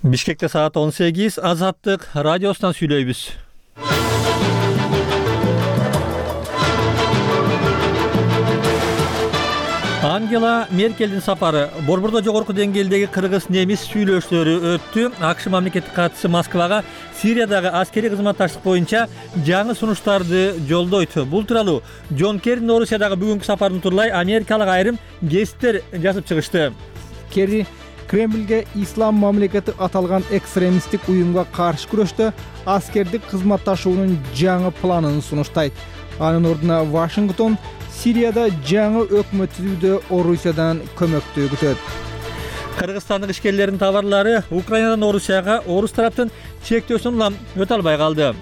Бишкекте саат 18, Азаттык радиосунан сүйлөйбүз. Ангела Меркелдин сапары борбордо жогорку деңгээлдеги кыргыз-немис сүйлөшүүлөрү өттү. АКШ мамлекеттик катчысы Москвага Сириядагы аскерий кызматташтык боюнча жаңы сунуштарды жолдойт. Бул тууралуу Джон Керринин Орусиядагы бүгүнкү сапарын турлай америкалык айрым гесттер жазып чыгышты. Керри Кремльге ислам мамлекети аталган экстремисттик уюмга каршы күрөштө аскердик кызматташуунун жаңы планын сунуштайт. Анын ордуна Вашингтон Сирияда жаңы өкмөт түзүүдө Орусиядан көмөктү күтөт. Кыргызстандык ишкерлердин товарлары Украинадан Орусияга орус тараптын чектөөсүн улам өтө албай калды.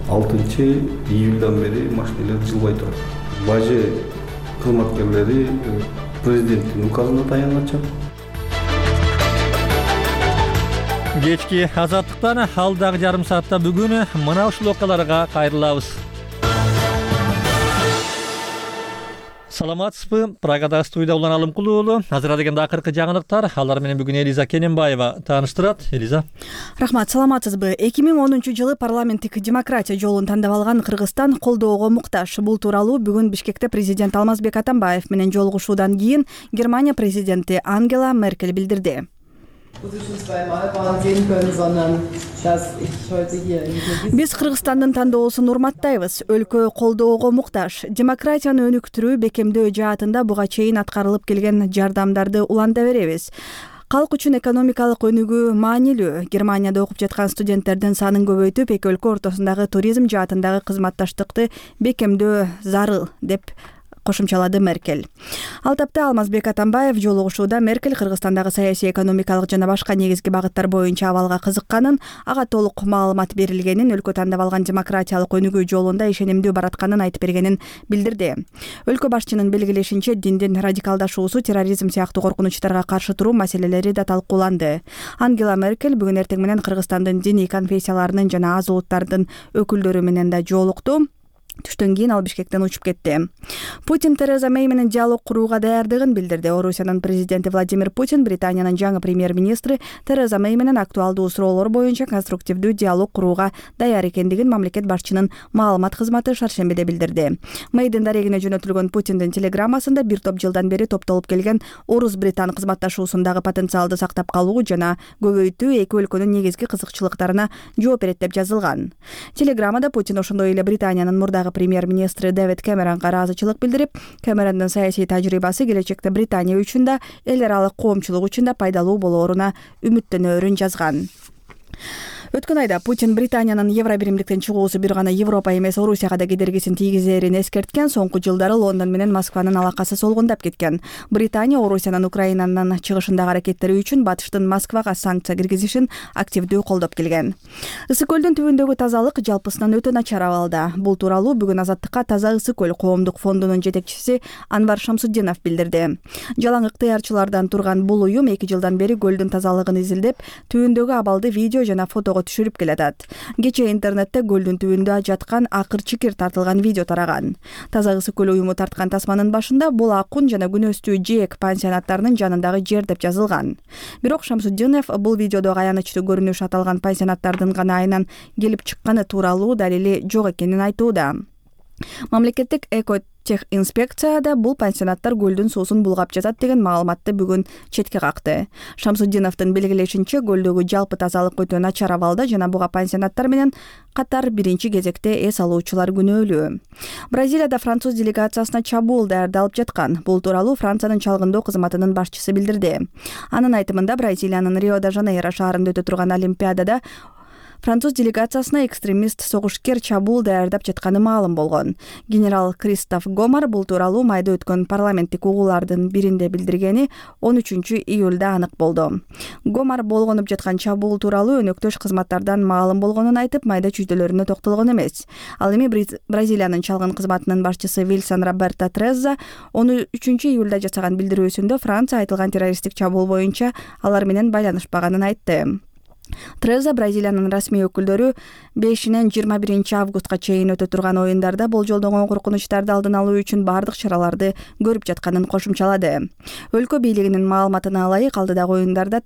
6-июлдан бери машиналар жылбай турат. Бажы кызматкерлери президенттин указына таянганча. Кечки Азаттыктан алдагы жарым саатта бүгүн мына ушул окуяларга кайрылабыз. Саламатсызбы? Прагада студия Улан Алымкулуу уулу. Азыр дегенде акыркы жаңылыктар. Алар менен бүгүн Элиза Кененбаева тааныштырат. Элиза. Рахмат, саламатсызбы? 2010 парламенттик демократия жолун тандап алган Кыргызстан колдоого муктаж. Бул тууралуу бүгүн Бишкекте президент Алмазбек Атамбаев менен жолугушуудан кийин Германия президенти Ангела Меркель билдирди. Биз Кыргызстандын тандоосун урматтайбыз. Өлкө колдоого муктаж. Демократияны өнүктүрүү, бекемдөө жаатында буга чейин аткарылып келген жардамдарды уланта беребиз. Калк үчүн экономикалык өнүгүү маанилүү. Германияда окуп жаткан студенттердин санын көбөйтүп, эки өлкө ортосундагы туризм жаатындагы кызматташтыкты бекемдөө зарыл деп кошумчалады Меркель. Ал тапта Алмазбек Атамбаев жолугушууда Меркель Кыргызстандагы саясий, экономикалык жана башка негизги багыттар боюнча абалга кызыкканын, ага толук маалымат берилгенин, өлкө тандап алган демократиялык өнүгүү жолунда ишенимдүү баратканын айтып бергенин билдирди. Өлкө башчынын белгилешинче, диндин радикалдашуусу, терроризм сыяктуу коркунучтарга каршы туруу маселелери да талкууланды. Ангела Меркель бүгүн эртең менен Кыргызстандын диний конфессияларынын жана аз улуттардын өкүлдөрү менен да жолукту. Түштөн кийин ал Бишкектен учуп кетти. Путин Тереза Мэй менен диалог курууга даярдыгын билдирди. Орусиянын президенти Владимир Путин Британиянын жаңы премьер-министри Тереза Мэй менен актуалдуу суроолор боюнча конструктивдүү диалог курууга даяр экендигин мамлекет башчынын маалымат кызматы шаршембиде билдирди. Мэйдин дарегине жөнөтүлгөн Путиндин телеграммасында бир топ жылдан бери топтолуп келген орус-британ кызматташуусундагы потенциалды сактап калуу жана көбөйтүү эки өлкөнүн негизги кызыкчылыктарына жооп берет деп жазылган. Телеграммада Путин ошондой эле Британиянын мурдагы премьер-министри Дэвид Кэмеронго ыраазычылык билдирип, Кэмерондун саясий тажрыйбасы келечекте Британия үчүн да, эл аралык коомчулук үчүн да пайдалуу болооруна үмүттөнөөрүн жазган. Өткөн айда Путин Британиянын Евробиримдиктен чыгуусу бир гана Европа эмес Орусияга да кедергисин тийгизерин эскерткен. Соңку жылдары Лондон менен Москванын алакасы солгундап кеткен. Британия Орусиянын Украинанын чыгышындагы аракеттери үчүн батыштын Москвага санкция киргизишин активдүү колдоп келген. Ысык көлдүн түбүндөгү тазалык жалпысынан өтө начар абалда. Бул тууралуу бүгүн Азаттыкка Таза Ысык көл коомдук фондунун жетекчиси Анвар Шамсуддинов билдирди. Жалаң ыктыярчылардан турган бул уюм 2 жылдан бери көлдүн тазалыгын изилдеп, түбүндөгү абалды видео жана фотого түшүрүп келатат. Кечээ интернетте көлдүн түбүндө жаткан акыр-чикир тартылган видео тараган. Таза Ысык көл уюму тарткан тасманын башында бул Акун жана Күнөстүү Жээк пансионаттарынын жанындагы жер деп жазылган. Бирок Шамсуддинов бул видеодо аянычтуу көрүнүш аталган пансионаттардын гана айынан келип чыкканы тууралуу далили жок экенин айтууда. Мамлекеттик экотехинспекцияда бул пансионаттар көлдүн суусун булгап жатат деген маалыматты бүгүн четке какты. Шамсуддиновдун белгилешинче, көлдөгү жалпы тазалык өтө начар абалда жана буга пансионаттар менен катар биринчи кезекте эс алуучулар күнөөлүү. Бразилияда француз делегациясына чабуул даярдалып жаткан. Бул тууралуу Франциянын чалгындоо кызматынын башчысы билдирди. Анын айтымында, Бразилиянын Рио-де-Жанейро шаарында өтө турган Олимпиадада француз делегациясына экстремист согушкер чабуул даярдап жатканы маалым болгон. Генерал Кристоф Гомар бул тууралуу майда өткөн парламенттик угуулардын биринде билдиргени 13-июлда анык болду. Гомар болгонуп жаткан чабуул тууралуу өнөктөш кызматтардан маалым болгонун айтып, майда чүйдөлөрүнө токтолгон эмес. Ал эми Бразилиянын чалгын кызматынын башчысы Вилсон Роберто Треза 13-июлда жасаган билдирүүсүндө Франция айтылган террористтик чабуул боюнча алар менен байланышпаганын айтты. Треза Бразилиянын расмий өкүлдөрү 5-нен 21 августка чейин өтө турган оюндарда болжолдонгон коркунучтарды алдын алуу үчүн бардык чараларды көрүп жатканын кошумчалады. Өлкө бийлигинин маалыматына ылайык, алдыдагы оюндарда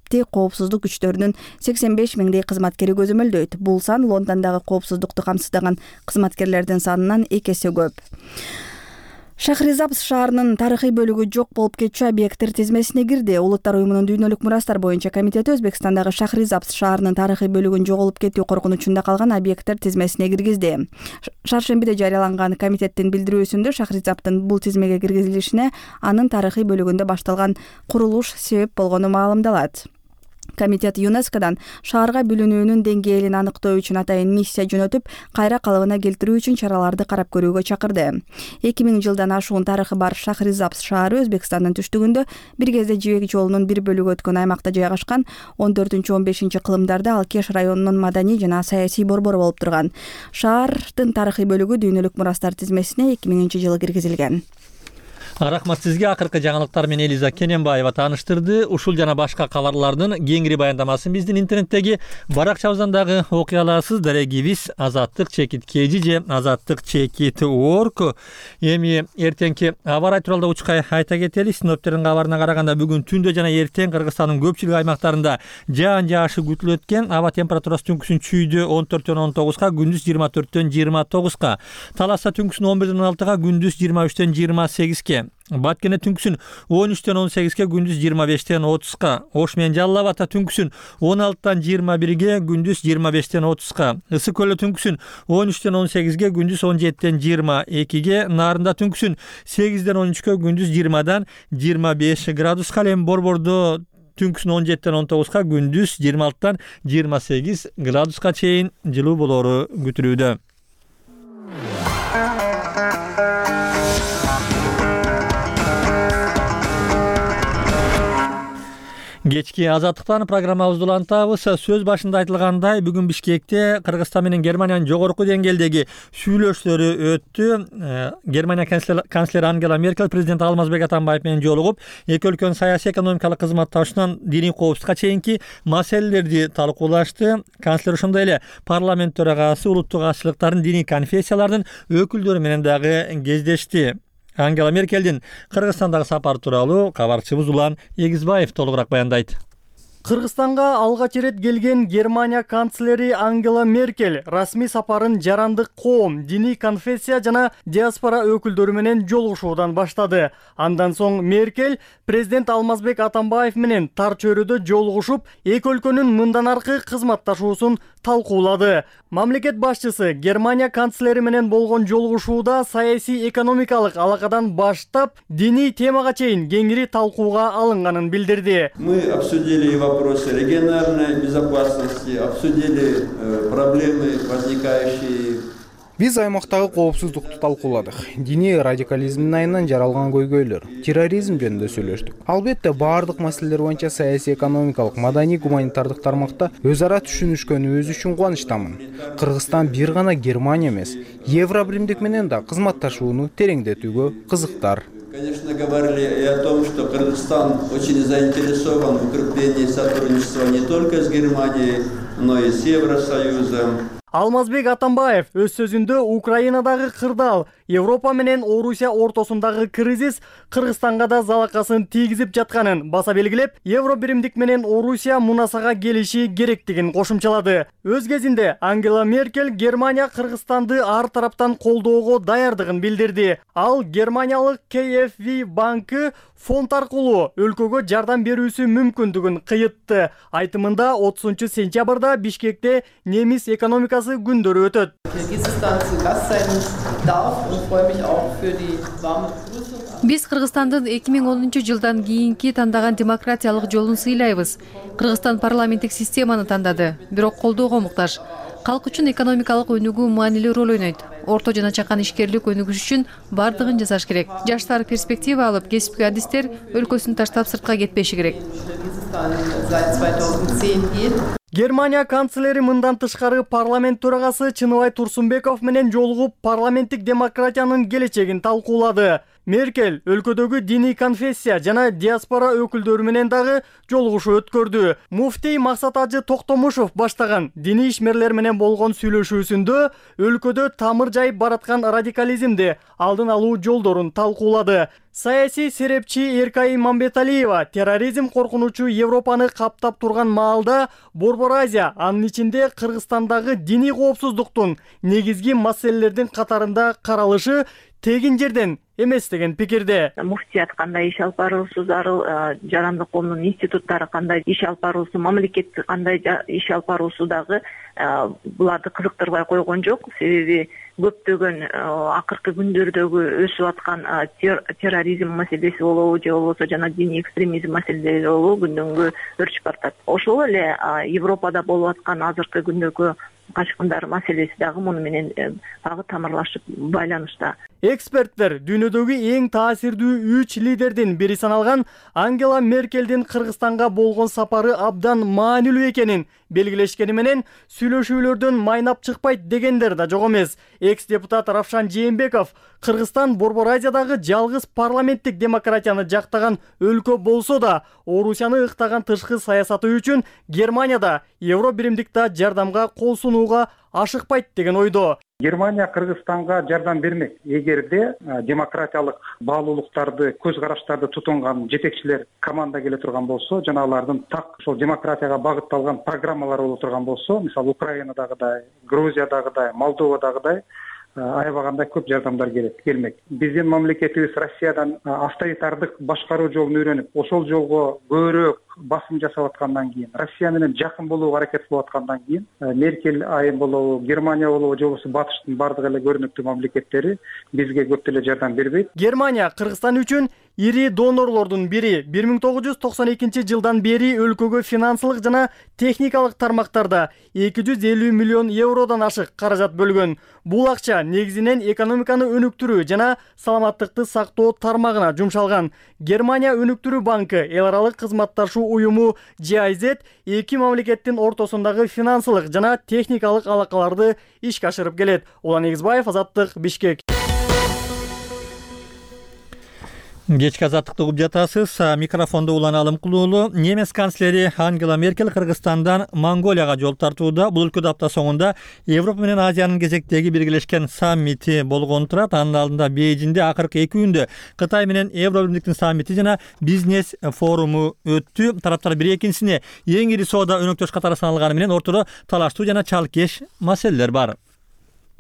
адапти коопсуздук күчтөрүнүн 85 миңдей кызматкери көзөмөлдөйт. Бул сан Лондондогу коопсуздукту камсыздаган кызматкерлердин санынан 2 эсе көп. Шахризабз шаарынын тарыхый бөлүгү жок болуп кетчү объекттер тизмесине кирди. Улуттар уюмунун дүйнөлүк мурастар боюнча комитети Өзбекстандагы Шахризабз шаарынын тарыхый бөлүгүн жоголуп кетүү коркунучунда калган объекттер тизмесине киргизди. Шаршембиде жарыяланган комитеттин билдирүүсүндө Шахризабздын бул тизмеге киргизилишине анын тарыхый бөлүгүндө башталган курулуш себеп болгону маалымдалат. Комитет ЮНЕСКОдан шаарга бүлүнүүнүн деңгээлин аныктоо үчүн атайын миссия жөнөтүп, кайра калыбына келтирүү үчүн чараларды карап көрүүгө чакырды. 2000 жылдан ашуун тарыхы бар Шахризабз шаары Өзбекстандын түштүгүндө бир кезде Жибек жолунун бир бөлүгү өткөн аймакта жайгашкан. 14-15 кылымдарда ал Кеш районунун маданий жана саясий борбору болуп турган. Шаардын тарыхый бөлүгү дүйнөлүк мурастар тизмесине 2000-жылы киргизилген. Рахмат сизге. Акыркы жаңылыктар менен Элиза Кененбаева тааныштырды. Ушул жана башка кабарлардын кеңири баяндамасын биздин интернеттеги баракчабыздан дагы окуй аласыз. Дарегибиз azattik.kg же azattik.org. Эми эртеңки аба ырайы тууралуу учкай айта кетели. Синоптиктердин кабарына караганда бүгүн түндө жана эртең Кыргызстандын көпчүлүк аймактарында жаан жаашы күтүлөт экен. Аба температурасы түнкүсүн чүйдө 14-19, күндүз 24-29. Таласта түнкүсүн 11-16, күндүз 23-28. Баткене түнкүсүн 13-18, күндүз 25-30. Ош менен Жалал Абадта түнкүсүн 16-21, күндүз 25-30. Ысык көлдө түнкүсүн 13-18, күндүз 17-22. Нарында түнкүсүн 8-13, күндүз 20-25 градуска. Эми Борбордо түнкүсүн 17-19, күндүз 26-28 градуска чейин жылуу болору күтүлүүдө. Кечки азаттыктан программабызды улантабыз. Сөз башында айтылгандай, бүгүн Бишкекте Кыргызстан менен Германиянын жогорку деңгээлдеги сүйлөшүүлөрү өттү. Германия канцлери Ангела Меркель президент Алмазбек Атамбаев менен жолугуп, эки өлкөнүн саясий экономикалык кызматташуунан диний коопсуздукка чейинки маселелерди талкуулашты. Канцлер ошондой эле парламент төрагасы улуттук азчылыктардын диний конфессиялардын өкүлдөрү менен дагы кездешти. Ангела Меркелдин Кыргызстандагы сапары тууралуу кабарчыбыз Улан Эгизбаев толугураак баяндайт. Кыргызстанга алгач ирет келген Германия канцлери Ангела Меркель расмий сапарын жарандык коом, диний конфессия жана диаспора өкүлдөрү менен жолугушуудан баштады. Андан соң Меркель президент Алмазбек Атамбаев менен тар чөйрөдө жолугушуп, эки өлкөнүн мындан аркы кызматташуусун талкуулады. Мамлекет башчысы Германия канцлери менен болгон жолугушууда саясий экономикалык алакадан баштап, диний темага чейин кеңири талкууга алынганын билдирди. Мы обсудили вопросы региональной безопасности, обсудили проблемы, возникающие. Биз аймактагы коопсуздукту талкууладык. Диний радикализмдин айынан жаралган көйгөйлөр, терроризм жөнүндө сүйлөштүк. Албетте баардык маселелер боюнча саясий, экономикалык, маданий, гуманитардык тармакта өз ара түшүнүшкөнүбүз үчүн кубанычтамын. Кыргызстан бир гана Германия эмес, Евробиримдик менен да кызматташууну тереңдетүүгө кызыктар. Конечно, говорили и о том, что Кыргызстан очень заинтересован в укреплении сотрудничества не только с Германией, но и с Евросоюзом. Алмазбек Атамбаев өз сөзүндө Украинадагы кырдаал, Европа менен Орусия ортосундагы кризис Кыргызстанга да залакасын тийгизип жатканын баса белгилеп, Евробиримдик менен Орусия мунасага келиши керектигин кошумчалады. Өз кезинде Ангела Меркель Германия Кыргызстанды ар тараптан колдоого даярдыгын билдирди. Ал Германиялык KfW банкы фонд аркылуу өлкөгө жардам берүүсү мүмкүндүгүн кыйытты. Айтымында 30-сентябрда Бишкекте немис экономикасы күндөрү өтөт. Биз Кыргызстандын 2010 жылдан кийинки тандаган демократиялык жолун сыйлайбыз. Кыргызстан парламенттик системаны тандады, бирок колдоого муктаж. Калк үчүн экономикалык өнүгүү маанилүү роль ойнойт. Орто жана чакан ишкерлик өнүгүш үчүн бардыгын жасаш керек. Жаштар перспектива алып, кесипки адистер өлкөсүн таштап сыртка кетпеши керек. Германия канцлери мындан тышкары парламент төрагасы Чыныбай Турсунбеков менен жолугуп парламенттик демократиянын келечегин талкуулады. Меркель өлкөдөгү диний конфессия жана диаспора өкүлдөрү менен дагы жолугушуу өткөрдү. Муфтий Максат Ажы Токтомушов баштаган диний ишмерлер менен болгон сүйлөшүүсүндө өлкөдө тамыр жайып бараткан радикализмди алдын алуу жолдорун талкуулады. Саясий серепчи Эркай Имамбеталиева терроризм коркунучу Европаны каптап турган маалда Борбор Азия, анын ичинде Кыргызстандагы диний коопсуздуктун негизги маселелердин катарында каралышы тегин жерден эмес деген пикирде. Муфтият кандай иш алып баруусу зарыл, жарандык коомдун институттары кандай иш алып баруусу, мамлекет кандай иш алып баруусу дагы буларды кызыктырбай койгон жок. Себеби көптөгөн акыркы күндөрдөгү өсүп аткан терроризм маселеси болобу же болбосо жана диний экстремизм маселелери болобу күндөнгө өрчүп баратат. Ошол эле Европада болуп аткан азыркы күндөгү качкындар маселеси дагы муну менен дагы тамырлашып байланышта. Эксперттер дүйнөдөгү эң таасирдүү 3 лидердин бири саналган Ангела Меркелдин Кыргызстанга болгон сапары абдан маанилүү экенин белгилешкени менен сүйлөшүүлөрдөн майнап чыкпайт дегендер да жок эмес. Экс-депутат Равшан Жээнбеков Кыргызстан Борбор Азиядагы жалгыз парламенттик демократияны жактаган өлкө болсо да, Орусияны ыктаган тышкы саясаты үчүн Германияда Евро биримдикте жардамга кол сунууга ашыкпайт деген ойдо. Германия Кыргызстанга жардам бермек. Эгерде демократиялык баалуулуктарды, көз караштарды тутунган жетекчилер команда келе турган болсо, жана алардын так ошол демократияга багытталган программалар боло турган болсо, мисалы Украинадагыдай, Грузиядагыдай, Молдовадагыдай аябагандай көп жардамдар келмек. Биздин мамлекетибиз Россиядан авторитардык башкаруу жолун үйрөнүп, ошол жолго көбүрөөк басым жасап аткандан кийин, Россия менен жакын болууга аракет кылып аткандан кийин, Меркель айым болобу, Германия болобу, же болбосо Батыштын бардык эле көрүнүктүү мамлекеттери бизге көп деле жардам бербейт. Германия Кыргызстан үчүн ири донорлордун бири. 1992 жылдан бери өлкөгө финансылык жана техникалык тармактарда 250 миллион евродон ашык каражат бөлгөн. Бул акча негизинен экономиканы өнүктүрүү жана саламаттыкты сактоо тармагына жумшалган. Германия өнүктүрүү банкы эл аралык кызматташуу уюму GIZ эки мамлекеттин ортосундагы финансылык жана техникалык алакаларды ишке ашырып келет. Улан Эгизбаев, Азаттык, Бишкек. Кечки азаттыкты угуп жатасыз. Микрофондо Улан Алымкулуулу. Немец канцлери Ангела Меркель Кыргызстандан Монголияга жол тартууда. Бул өлкөдө апта соңунда Европа менен Азиянын кезектеги биргелешкен саммити болгон турат. Анын алдында Бейжиңде акыркы 2 күндө Кытай менен Евро биримдиктин саммити жана бизнес форуму өттү. Тараптар бири экинчисине эң ири соода өнөктөш катары саналганы менен ортодо талаштуу жана чалкеш маселелер бар.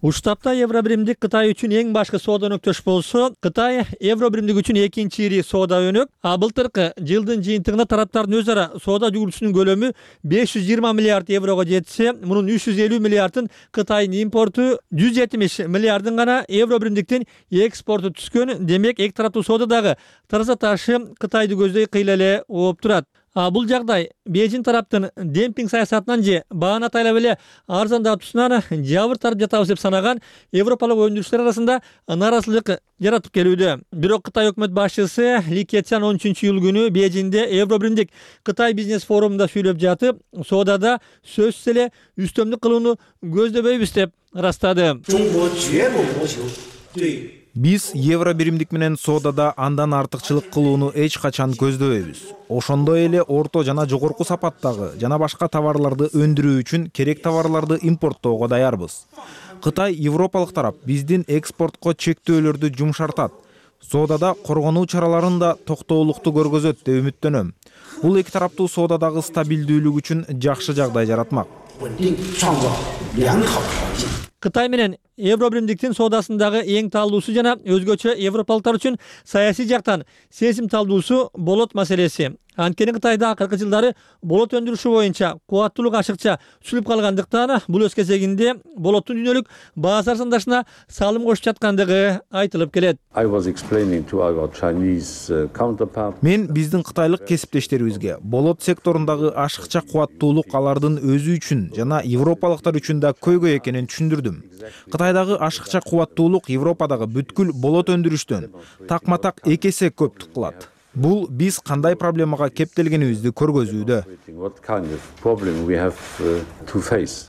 Уштапта Евро биримдик Кытай үчүн эң башкы соода өнөктөш болсо, Кытай Евро биримдик үчүн экинчи ири соода өнөк. Былтыркы жылдын жыйынтыгында тараптардын өз ара соода жүгүртүүсүнүн көлөмү 520 миллиард еврого жетсе, мунун 350 миллиардын Кытайдын импорту, 170 миллиардын гана Евро биримдиктин экспорту түскөн. Демек, эки тараптуу соодадагы тараза ташы Кытайды көздөй кыйла эле ооп турат. Бул жагдай Бейжиң тараптын демпинг саясатынан же бааны атайлап эле арзандатуусунан жабыр тартып жатабыз деп санаган европалык өндүрүчүлөр арасында нааразычылык жаратып келүүдө. Бирок Кытай өкмөт башчысы Ли Кечан 13-июль күнү Бейжиңде Евро биримдик Кытай бизнес форумунда сүйлөп жатып, соодада сөзсүз эле үстөмдүк кылууну көздөбөйбүз деп ырастады. Биз евро биримдик менен соодада андан артыкчылык кылууну эч качан көздөбөйбүз. Ошондой эле орто жана жогорку сапаттагы жана башка товарларды өндүрүү үчүн керек товарларды импорттоого даярбыз. Кытай европалык тарап биздин экспортко чектөөлөрдү жумшартат. Соодада коргонуу чараларын да токтоолукту көргөзөт деп үмүттөнөм. Бул эки тараптуу соодадагы стабилдүүлүк үчүн жакшы жагдай жаратмак. Кытай менен Евро биримдиктин соодасындагы эң талдуусу жана өзгөчө европалыктар үчүн саясий жактан сезим талдуусу болот маселеси. Анткени Кытайда акыркы жылдары болот өндүрүшү боюнча кубаттуулук ашыкча сүлүп калгандыктан бул өз кезегинде болоттун дүйнөлүк базар сандашына салым кошуп жаткандыгы айтылып келет. Мен биздин кытайлык кесиптештерибизге болот секторундагы ашыкча кубаттуулук алардын өзү үчүн жана европалыктар үчүн да көйгөй экенин түшүндүрдүм. Кытайдагы ашыкча кубаттуулук Европадагы бүткүл болот өндүрүштөн такма-так 2 эсе көп кылат. Бул биз кандай проблемага кептелгенибизди көргөзүүдө.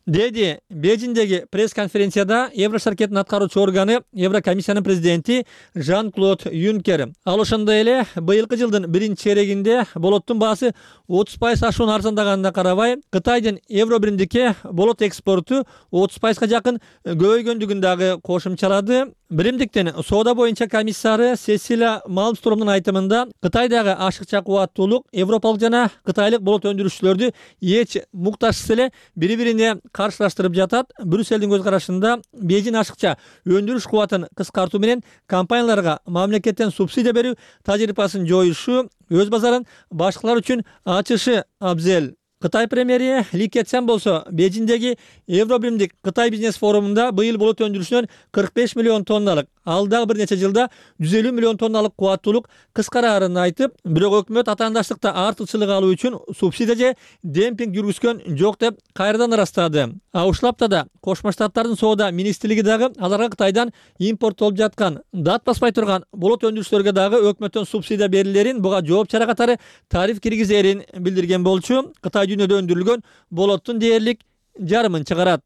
Деди Бейжиңдеги пресс-конференцияда Евро шаркеттин аткаруучу органы Еврокомиссиянын президенти Жан-Клод Юнкер. Ал ошондой эле быйылкы жылдын 1-чейрегинде болоттун баасы 30% ашуун арзандаганына карабай, Кытайдын Евро биримдикке болот экспорту 30%га жакын көбөйгөндүгүн дагы кошумчалады. Биримдиктин соода боюнча комиссары Сесилия Малмстромдун айтымында, Кытайдагы ашыкча кубаттуулук европалык жана кытайлык болот өндүрүүчүлөрдү эч муктажсыз эле бири-бирине каршылаштырып жатат. Брюссельдин көз карашында Бейжиң ашыкча өндүрүш кубатын кыскартуу менен компанияларга мамлекеттен субсидия берүү тажрыйбасын жоюшу, өз базарын башкалар үчүн ачышы абзел. Кытай премьери Ли Кэцян болсо Бейжиңдеги Евро биримдик Кытай бизнес форумунда быйыл болот өндүрүшүнөн 45 миллион тонналык, ал дагы бир нече жылда 150 миллион тонналык кубаттуулук кыскараарын айтып, бирок өкмөт атаандаштыкта артыкчылык алуу үчүн субсидия же демпинг жүргүзгөн жок деп кайрадан ырастады. Ушул аптада Кошмо Штаттардын соода министрлиги дагы аларга Кытайдан импорттолуп жаткан, дат баспай турган болот өндүрүүчүлөргө дагы өкмөттөн субсидия берилерин, буга жооп чара катары тариф киргизерин билдирген болчу. Кытай дүйнөдө өндүрүлгөн болоттун дээрлик жарымын чыгарат.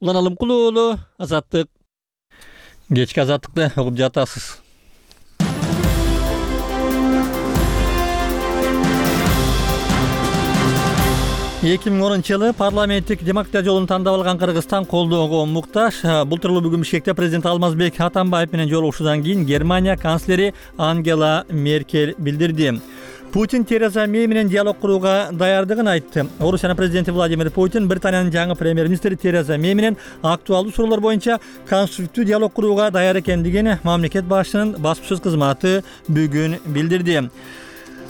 Улан Алымкулуу уулу, Азаттык. Кечки Азаттыкты угуп жатасыз. Эки миң 10-жылы парламенттик демократия жолун тандап алган Кыргызстан колдоого муктаж. Былтыр бүгүн Бишкекте президент Алмазбек Атамбаев менен жолугушуудан кийин Германия канцлери Ангела Меркель билдирди. Путин Тереза Мэй менен диалог курууга даярдыгын айтты. Орусиянын президенти Владимир Путин Британиянын жаңы премьер-министри Тереза Мэй менен актуалдуу суроолор боюнча конструктивдүү диалог курууга даяр экендигин мамлекет башчынын баспасөз кызматы бүгүн билдирди.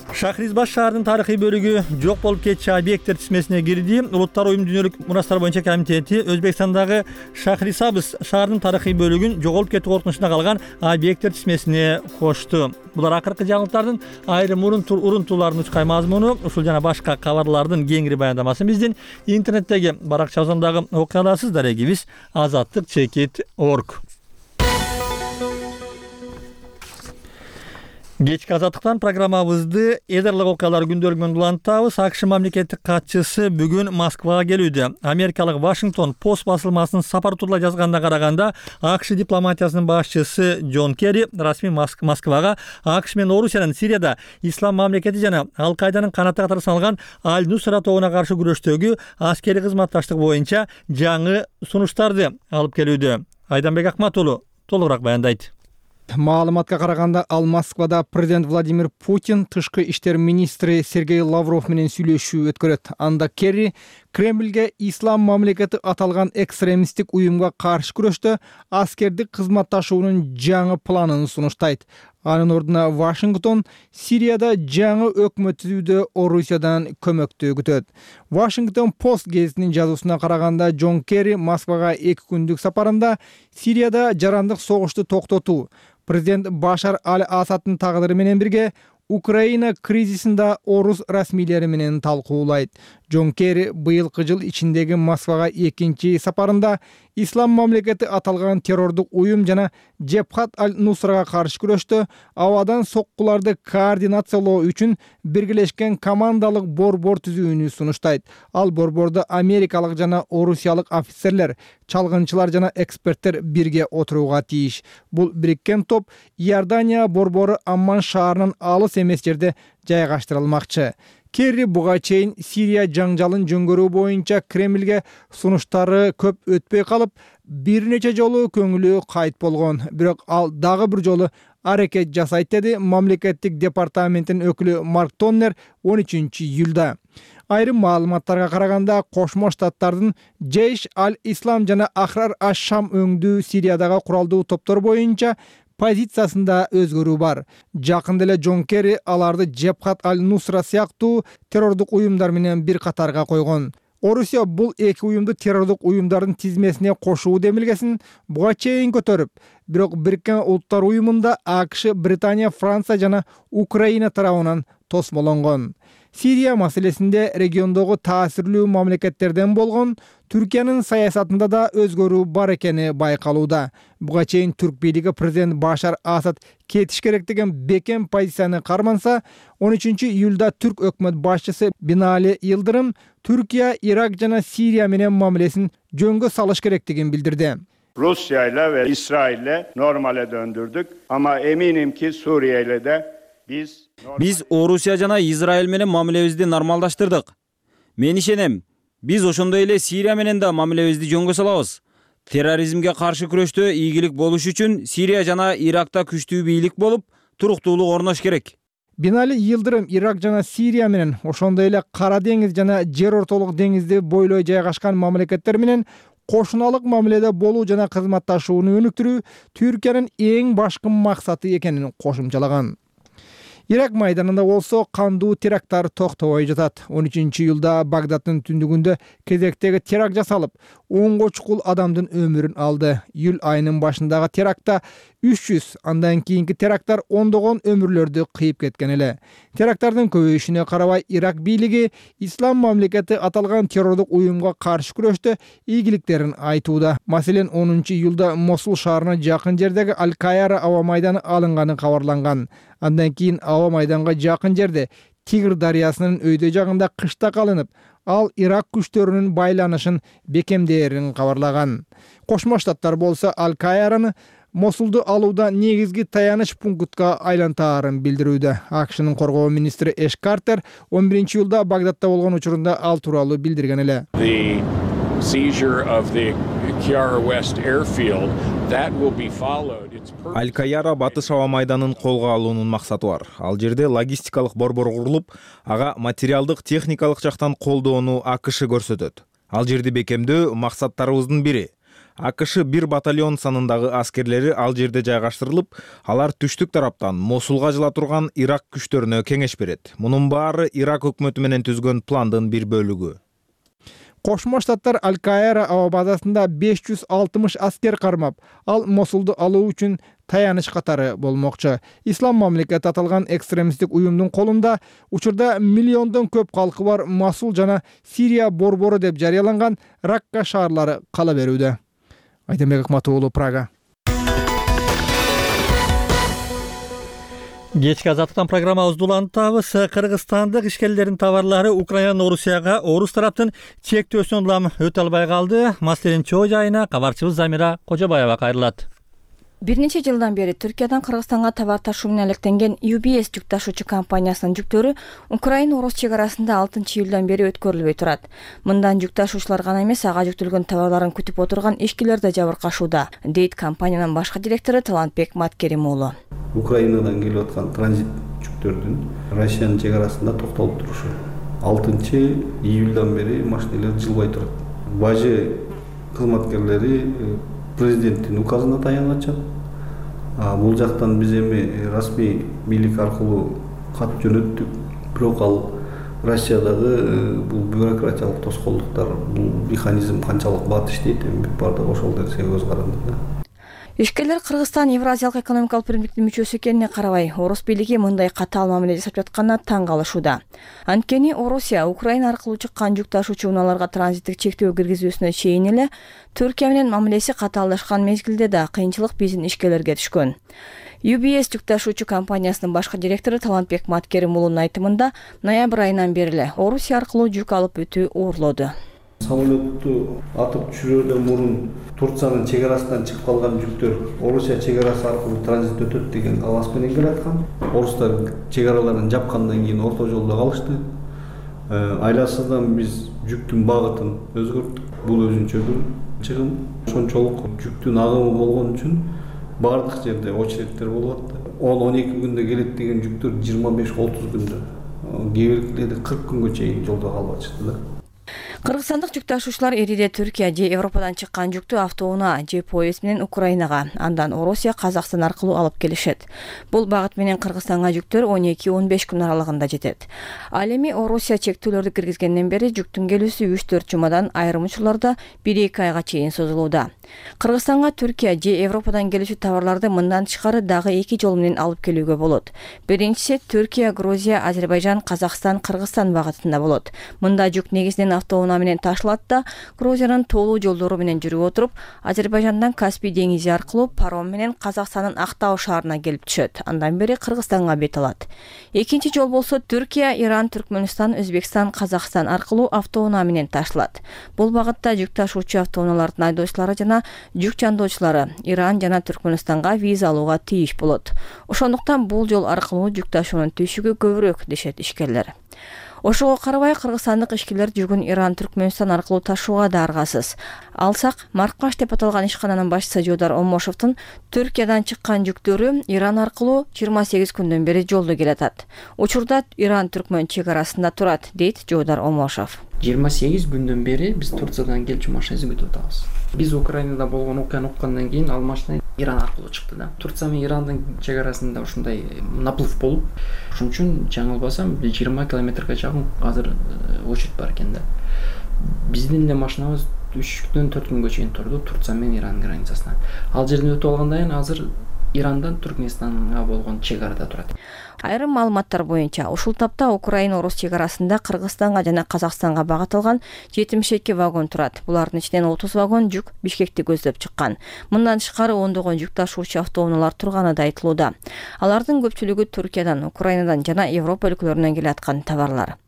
Шахризбаш шаарынын тарыхый бөлүгү жок болуп кетчү объекттер тизмесине кирди. Улуттар уюму дүйнөлүк мурастар боюнча комитети Өзбекстандагы Шахрисабз шаарынын тарыхый бөлүгүн жоголуп кетүү коркунучунда калган объекттер тизмесине кошту. Булар акыркы жаңылыктардын айрым урунтууларынын учкай мазмуну. Ушул жана башка кабарлардын кеңири баяндамасын биздин интернеттеги баракчабыздагы окуя аласыз. Дарегибиз azattik.org. Кечки Азаттыктан программабызды эдерлик окуялар күндөлүгүнөн улантабыз. АКШ мамлекеттик катчысы бүгүн Москвага келүүдө. Америкалык Вашингтон Пост басылмасынын сапар туралы жазганына караганда, АКШ дипломатиясынын башчысы Джон Керри расмий Москвага АКШ менен Орусиянын Сирияда Ислам мамлекети жана Ал-Кайданын канаты катары саналган Аль-Нусра тобуна каршы күрөштөгү аскерий кызматташтык боюнча жаңы сунуштарды алып келүүдө. Айданбек Акмат уулу толугураак баяндайт. Маалыматка караганда, ал Москвада президент Владимир Путин, тышкы иштер министри Сергей Лавров менен сүйлөшүү өткөрөт. Анда Керри Кремльге ислам мамлекети аталган экстремисттик уюмга каршы күрөштө аскердик кызматташуунун жаңы планын сунуштайт. Анын ордуна Вашингтон Сирияда жаңы өкмөт түзүүдө Орусиядан көмөктү күтөт. Вашингтон Пост гезитинин жазуусуна караганда, Джон Керри Москвага 2 күндүк сапарында Сирияда жарандык согушту токтотуу, президент Башар Аль-Асаддын тагдыры менен бирге Украина кризисинде орус расмийлери менен талкуулайт. Джон Керри быйылкы жыл ичиндеги Москвага 2-чи сапарында ислам мамлекети аталган террордук уюм жана Джебхат аль-Нусрага каршы күрөштө абадан соккуларды координациялоо үчүн биргелешкен командалык борбор түзүүнү сунуштайт. Ал борбордо америкалык жана орусиялык офицерлер, чалгынчылар жана эксперттер бирге отурууга тийиш. Бул бириккен топ Иордания борбору Амман шаарынын алыс эмес жерде жайгаштырылмакчы. Керри буга чейин Сирия жаңжалын жөнгөрүү боюнча Кремльге сунуштары көп өтпөй калып, бир нече жолу көңүлү кайт болгон. Бирок ал дагы бир жолу аракет жасайт, деди мамлекеттик департаменттин өкүлү Марк Тоннер 13-июлда. Айрым маалыматтарга караганда, Кошмо Штаттардын Жейш аль-Ислам жана Ахрар аш-Шам өңдүү Сириядагы куралдуу топтор боюнча позициясында өзгөрүү бар. Жакында эле Джон Керри аларды Джебхат аль-Нусра сыяктуу террордук уюмдар менен бир катарга койгон. Орусия бул эки уюмду террордук уюмдардын тизмесине кошуу демилгесин буга чейин көтөрүп, бирок Бириккен Улуттар уюмунда АКШ, Британия, Франция жана Украина тарабынан тосмолонгон. Сирия маселесинде региондогу таасирлүү мамлекеттерден болгон Түркиянын саясатында да өзгөрүү бар экени байкалууда. Буга чейин түрк бийлиги президент Башар Асад кетиш керек деген бекем позицияны карманса, 13-июлда түрк өкмөт башчысы Бинали Йылдырым Түркия, Ирак жана Сирия менен мамилесин жөнгө салыш керектигин билдирди. Rusya ile ve İsrail ile normale döndürdük ama eminim ki Suriye ile de Биз Орусия жана Израиль менен мамилебизди нормалдаштырдык. Мен ишенем, биз ошондой эле Сирия менен да мамилебизди жөнгө салабыз. Терроризмге каршы күрөштө ийгилик болуш үчүн Сирия жана Иракта күчтүү бийлик болуп, туруктуулук орнош керек. Бинали Йылдырым Ирак жана Сирия менен ошондой эле Кара деңиз жана Жер ортолук деңизди бойлой жайгашкан мамлекеттер менен кошуналык мамиледе болуу жана кызматташууну өнүктүрүү Түркиянын эң башкы максаты экенин кошумчалаган. Ирак майданында болсо кандуу теракттар токтобой жатат. 13-июлда Багдаддын түндүгүндө кезектеги теракт жасалып, 10 чукул адамдын өмүрүн алды. Июль айынын башындагы терактта 300, андан кийинки теракттар ондогон өмүрлөрдү кыйып кеткен эле. Теракттардын көбөйүшүнө карабай Ирак бийлиги Ислам мамлекети аталган террордук уюмга каршы күрөштө ийгиликтерин айтууда. Маселен, 10-июлда Мосул шаарына жакын жердеги Аль-Кайара аба майданы алынганы кабарланган. Андан кийин аба майданга жакын жерде Тигр дарыясынын өйдө жагында кыштак алынып, ал Ирак күчтөрүнүн байланышын бекемдээрин кабарлаган. Кошмо Штаттар болсо Аль-Кайараны Мосулду алууда негизги таяныч пунктка айлантаарын билдирүүдө. АКШнын коргоо министри Эш Картер 11-июлда Багдадда болгон учурунда ал тууралуу билдирген эле. Аль-Кайара батыш аба майданын колго алуунун максаты бар. Ал жерде логистикалык борбор курулуп, ага материалдык, техникалык жактан колдоону АКШ көрсөтөт. Ал жерди бекемдөө максаттарыбыздын бири. АКШ 1 батальон санындагы аскерлери ал жерде жайгаштырылып, алар түштүк тараптан Мосулга жыла турган Ирак күчтөрүнө кеңеш берет. Мунун баары Ирак өкмөтү менен түзгөн пландын бир бөлүгү. Кошмо Штаттар Аль-Кайара аба базасында 560 аскер кармап, ал Мосулду алуу үчүн таяныч катары болмокчу. Ислам мамлекети аталган экстремисттик уюмдун колунда учурда миллиондон көп калкы бар Мосул жана Сирия борбору деп жарыяланган Ракка шаарлары кала берүүдө. Айтембек Акматуулу, Прага. Кечки азаттыктан программабызды улантабыз. Кыргызстандык ишкерлердин товарлары Украина, Орусияга орус тараптын чектөөсүнөн улам өтө албай калды. Маселенин чоо жайына кабарчыбыз Замира Кожобаева кайрылат. Бир нече жылдан бери Түркиядан Кыргызстанга товар ташуу менен алектенген UBS жүк ташуучу компаниясынын жүктөрү Украина-Орус чек арасында 6-июлдан бери өткөрүлбөй турат. Мындан жүк ташуучулар гана эмес, ага жүктөлгөн товарларын күтүп отурган ишкерлер да жабыркашууда, дейт компаниянын башкы директору Талантбек Маткерим уулу. Украинадан келип аткан транзит жүктөрдүн Россиянын чек арасында токтолуп турушу 6-июлдан бери машиналар жылбай турат. Бажы кызматкерлери президенттин указына таянганча, бул жактан биз эми расмий бийлик аркылуу кат жөнөттүк. Бирок ал Россиядагы бул бюрократиялык тоскоолдуктар, бул механизм канчалык бат иштейт, эми баардыгы ошол нерсеге көз каранды. Ишкерлер Кыргызстан Евразиялык экономикалык биримдиктин мүчөсү экенине карабай, орус бийлиги мындай катаал мамиле жасап жатканына таң калышууда. Анткени Орусия Украина аркылуу чыккан жүк ташуучу унааларга транзиттик чектөө киргизүүсүнө чейин эле Түркия менен мамилеси катаалдашкан мезгилде да кыйынчылык биздин ишкерлерге түшкөн. UBS жүк ташуучу компаниясынын башкы директору Талантбек Маткерим уулунун айтымында, ноябрь айынан бери эле Орусия аркылуу жүк алып өтүү оорлоду. Самолетту атып түшүрүүдөн мурун Турциянын чек арасынан чыгып калган жүктөр Орусия чек арасы аркылуу транзит өтөт деген каалас менен келаткан. Орустар чек араларын жапкандан кийин орто жолдо калышты. Айласыздан биз жүктүн багытын өзгөрттүк. Бул өзүнчө бир чыгым. Ошончолук жүктүн агымы болгон үчүн бардык жерде очередтер болуп атты. 10-12 күндө келет деген жүктөр 25-30 күндө, кээ биркилерде 40 күнгө чейин жолдо калып атышты да. Кыргызстандык жүк ташуучулар эриде Түркия же Европадан чыккан жүктү автоунаа же поезд менен Украинага, андан Орусия, Казакстан аркылуу алып келишет. Бул багыт менен Кыргызстанга жүктөр 12-15 күн аралыгында жетет. Ал эми Орусия чектүүлөрдү киргизгенден бери жүктүн келүүсү 3-4 жумадан, айрым учурларда 1-2 айга чейин созулууда. Кыргызстанга Түркия же Европадан келүүчү товарларды мындан тышкары дагы 2 жол менен алып келүүгө болот. Биринчиси Түркия, Грузия, Азербайжан, Казакстан, Кыргызстан багытында болот. Мында жүк негизинен автоунаа менен ташылат да, Грузиянын тоолуу жолдору менен жүрүп отуруп, Азербайжандан Каспий деңизи аркылуу паром менен Казакстандын Актау шаарына келип түшөт. Андан бери Кыргызстанга бет алат. Экинчи жол болсо Түркия, Иран, Түркмөнстан, Өзбекстан, Казакстан аркылуу автоунаа менен ташылат. Бул багытта жүк ташуучу автоунаалардын айдоочулары жана жүк жандоочулары Иран жана Түркмөнстанга виза алууга тийиш болот. Ошондуктан бул жол аркылуу жүк ташуунун түйшүгү көбүрөөк, дешет ишкерлер. Ошого карабай кыргызстандык ишкерлер жүгүн Иран, Түркмөнстан аркылуу ташууга да аргасыз. Алсак, Маркаш деп аталган ишкананын башчысы Жуудар Омошовдун Түркиядан чыккан жүктөрү Иран аркылуу 28 күндөн бери жолдо келатат. Учурда Иран-Түркмөн чек арасында турат, дейт Жуудар Омошов. 28 күндөн бери биз Турциядан келчү машинабызды күтүп атабыз. Биз Украинада болгон окуяны уккандан кийин ал машина Иран аркылуу чыкты да. Турция менен Ирандын чек арасында ушундай наплыв болуп, ошон үчүн жаңылбасам 20 километрге жакын азыр очередь бар экен да. Биздин эле машинабыз 3 күндөн 4 күнгө чейин турду Турция менен Иран границасына. Ал жерден өтүп алгандан кийин азыр Ирандан Түркмөнстанга болгон чек арада турат. Айрым маалыматтар боюнча, ушул тапта Украина-Орус чек арасында Кыргызстанга жана Казакстанга багыт алган 72 вагон турат. Булардын ичинен 30 вагон жүк Бишкекти көздөп чыккан. Мындан тышкары ондогон жүк ташуучу автоунаалар турганы да айтылууда. Алардын көпчүлүгү Түркиядан, Украинадан жана Европа өлкөлөрүнөн келаткан товарлар.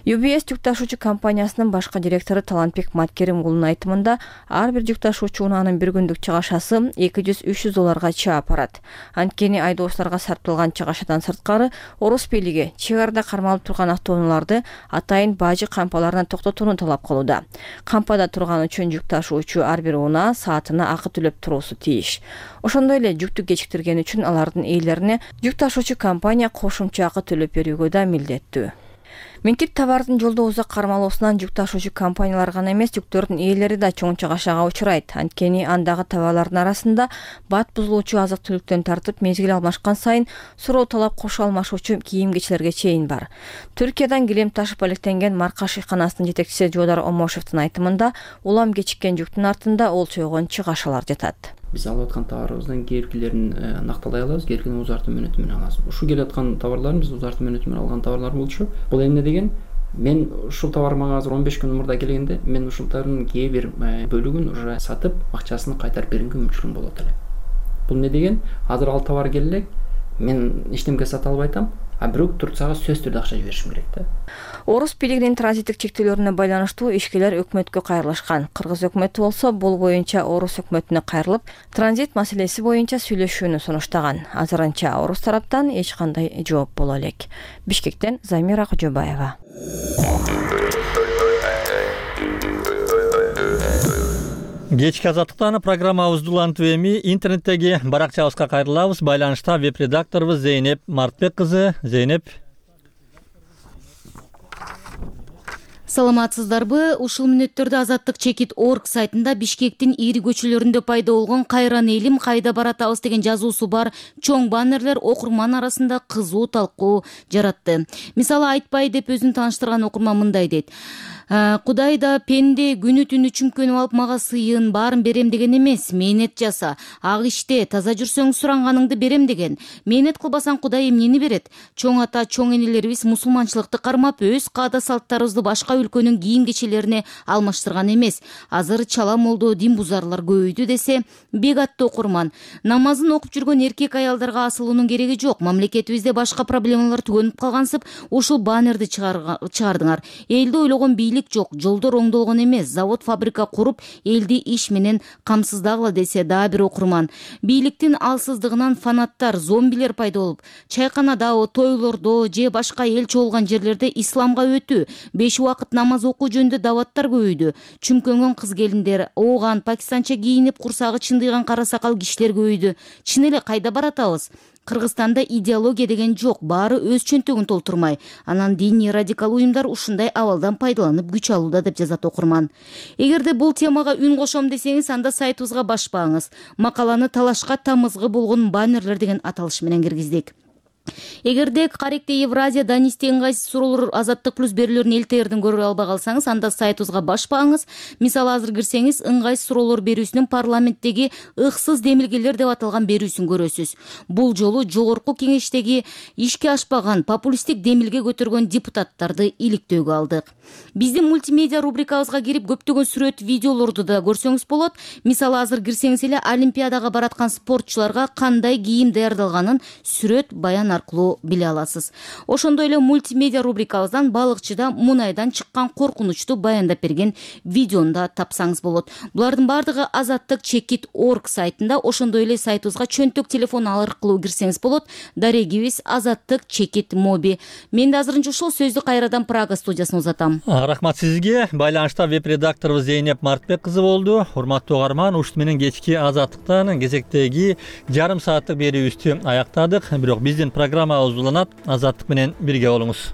UBS жүк ташуучу компаниясынын башкы директору Талантбек Маткеримулунун айтымында, ар бир жүк ташуучу унаанын бир күндүк чыгашасы $200-300 чаап барат. Анткени айдоочуларга сарпталган чыгашадан сырткары Орус бийлиги чек арада кармалып турган автоунааларды атайын бажы кампаларына токтотууну талап кылууда. Кампада турган үчүн жүк ташуучу ар бир унаа саатына акы төлөп туруусу тийиш. Ошондой эле жүктү кечиктирген үчүн алардын ээлерине жүк ташуучу компания кошумча акы төлөп берүүгө да милдеттүү. Минтип товардын жолдо узак кармалуусунан жүк ташуучу компаниялар гана эмес, жүктөрдүн ээлери да чоң чыгашага учурайт. Анткени андагы товарлардын арасында бат бузулуучу азык-түлүктөн тартып мезгил алмашкан сайын суроо талап кошо алмашуучу кийим-кечилерге чейин бар. Түркиядан килем ташып алектенген Маркаш ишканасынын жетекчиси Жуудар Омошовдун айтымында, улам кечиккен жүктүн артында олчойгон чыгашалар жатат. Биз алып аткан товарыбыздын кээкилерин накталай алабыз, кээкилерин узартуу мөөнөтү менен алабыз. Ушул келип аткан товарларыбыз биз узартуу мөөнөтү менен алган товарлар болчу. Бул эмне деген? Мен ушул товар мага азыр 15 күн мурда келгенде, мен ушул товардын кээ бир бөлүгүн уже сатып, акчасын кайтарып бергенге мүмкүн болот эле. Бул эмне деген? Азыр ал товар келе, мен эчтемке сата албайтам, а бирок Турцияга сөзсүз түрдө акча жиберишим керек да. Орус бийлигинин транзиттик чектөөлөрүнө байланыштуу ишкерлер өкмөткө кайрылышкан. Кыргыз өкмөтү болсо бул боюнча Орус өкмөтүнө кайрылып, транзит маселеси боюнча сүйлөшүүнү сунуштаган. Азырынча Орус тараптан эч кандай жооп боло элек. Бишкектен Замира Кожобаева. Кечки азаттыктан программабызды улантып эми интернеттеги баракчабызга кайрылабыз. Байланышта веб-редакторубуз Зейнеп Мартбек кызы. Зейнеп. Саламатсыздарбы? Ушул мүнөттөрдө Азаттык Чекит.org сайтында Бишкектин ири көчөлөрүндө пайда болгон "Кайран элим, кайда баратабыз" деген жазуусу бар чоң баннерлер окурман арасында кызуу талкуу жаратты. Мисалы, айтпай деп өзүн тааныштырган окурман мындай дейт: Кудай да пенде күнү түнү чүмкөнүп алып мага сыйын баарын берем деген эмес. Мээнет жаса, ак иште, таза жүрсөң суранганыңды берем деген. Мээнет кылбасаң Кудай эмнени берет? Чоң ата, чоң энелерибиз мусулманчылыкты кармап, өз каада салттарыбызды башка өлкөнүн кийим-кечелерине алмаштырган эмес. Азыр чала молдо, дин бузарлар көбөйдү десе, бек аттуу окурман. Намазын окуп жүргөн эркек аялдарга асылуунун кереги жок. Мамлекетибизде башка проблемалар түгөнүп калгансып, ушул баннерди чыгардыңар. Элди ойлогон жок, жолдор оңдолгон эмес, завод фабрика куруп, элди иш менен камсыздагыла десе дагы бир окурман. Бийликтин алсыздыгынан фанаттар, зомбилер пайда болуп, чайканада, тойлордо же башка эл чогулган жерлерде исламга өтүү, 5 убакыт намаз окуу жөнүндө даваттар көбөйдү. Чүмкөнгөн кыз келиндер, ооган, пакистанча кийинип, курсагы чындыйган кара сакал кишилер көбөйдү. Чын эле кайда баратабыз? Кыргызстанда идеология деген жок, баары өз чөнтөгүн толтурмай. Анан диний радикал уюмдар ушундай абалдан пайдаланып күч алууда, деп жазат окурман. Эгерде бул темага үн кошом десеңиз, анда сайтыбызга башпаңыз. Макаланы талашка тамызгы болгон баннерлер деген аталыш менен киргиздик. Эгерде каректе Евразия Данисте ыңгайсыз суроолор Азаттык плюс берүүлөрүн элтерден көрө албай калсаңыз, анда сайтыбызга башпаңыз. Мисалы, азыр кирсеңиз, ыңгайсыз суроолор берүүсүнүн парламенттеги ыксыз демилгелер деп аталган берүүсүн көрөсүз. Бул жолу жогорку кеңештеги ишке ашпаган популисттик демилге көтөргөн депутаттарды иликтөөгө алдык. Биздин мультимедиа рубрикабызга кирип көптөгөн сүрөт, видеолорду да көрсөңүз болот. Мисалы, азыр кирсеңиз эле Олимпиадага бараткан спортчуларга кандай кийим даярдалганын сүрөт, баян аркылуу биле аласыз. Ошондой эле мультимедиа рубрикабыздан балыкчыда мунайдан чыккан коркунучту баяндап берген видеону да тапсаңыз болот. Булардын бардыгы azattik.org сайтында, ошондой эле сайтыбызга чөнтөк телефон аркылуу кирсеңиз болот. Дарегибиз azattik.mobi. Мен да азырынча ушул сөздү кайрадан Прага студиясына узатам. Рахмат сизге. Байланышта веб-редакторубуз Зейнеп Мартбек кызы болду. Урматтуу угарман, ушут менен кечки Азаттыктан кезектеги жарым сааттык берүүбүздү аяктадык. Бирок биздин программабыз уланат. Азаттык менен бирге болуңуз.